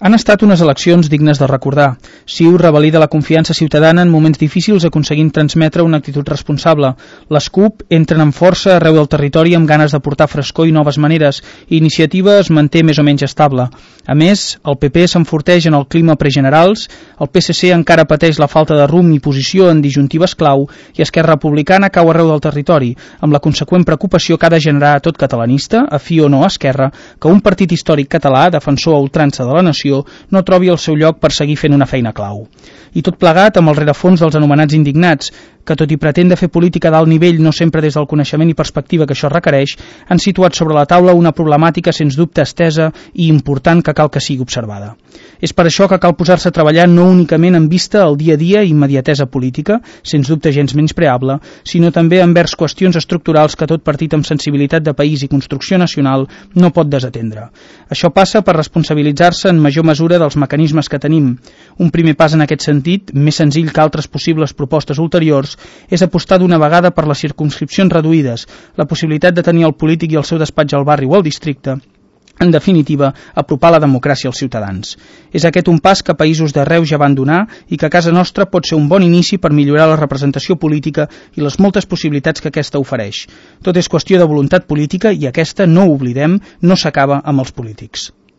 Han estat unes eleccions dignes de recordar. CiU revalida la confiança ciutadana en moments difícils aconseguint transmetre una actitud responsable. Les CUP entren amb força arreu del territori amb ganes de portar frescor i noves maneres. Iniciativa es manté més o menys estable. A més, el PP s'enforteix en el clima pregenerals, el PSC encara pateix la falta de rumb i posició en disjuntives clau i Esquerra Republicana cau arreu del territori, amb la conseqüent preocupació que ha de generar a tot catalanista, afí o no a Esquerra, que un partit històric català, defensor a ultrança de la nació, no trobi el seu lloc per seguir fent una feina clau. I tot plegat amb el rerefons dels anomenats indignats, que tot i pretendre fer política d'alt nivell no sempre des del coneixement i perspectiva que això requereix, han situat sobre la taula una problemàtica sens dubte estesa i important que cal que sigui observada. És per això que cal posar-se a treballar no únicament en vista al dia a dia i immediatesa política, sens dubte gens menyspreable, sinó també envers qüestions estructurals que tot partit amb sensibilitat de país i construcció nacional no pot desatendre. Això passa per responsabilitzar-se en major mesura dels mecanismes que tenim. Un primer pas en aquest sentit, més senzill que altres possibles propostes ulteriors, és apostar d'una vegada per les circumscripcions reduïdes, la possibilitat de tenir el polític i el seu despatx al barri o al districte, en definitiva, apropar la democràcia als ciutadans. És aquest un pas que països d'arreu ja van donar i que a casa nostra pot ser un bon inici per millorar la representació política i les moltes possibilitats que aquesta ofereix. Tot és qüestió de voluntat política i aquesta, no ho oblidem, no s'acaba amb els polítics.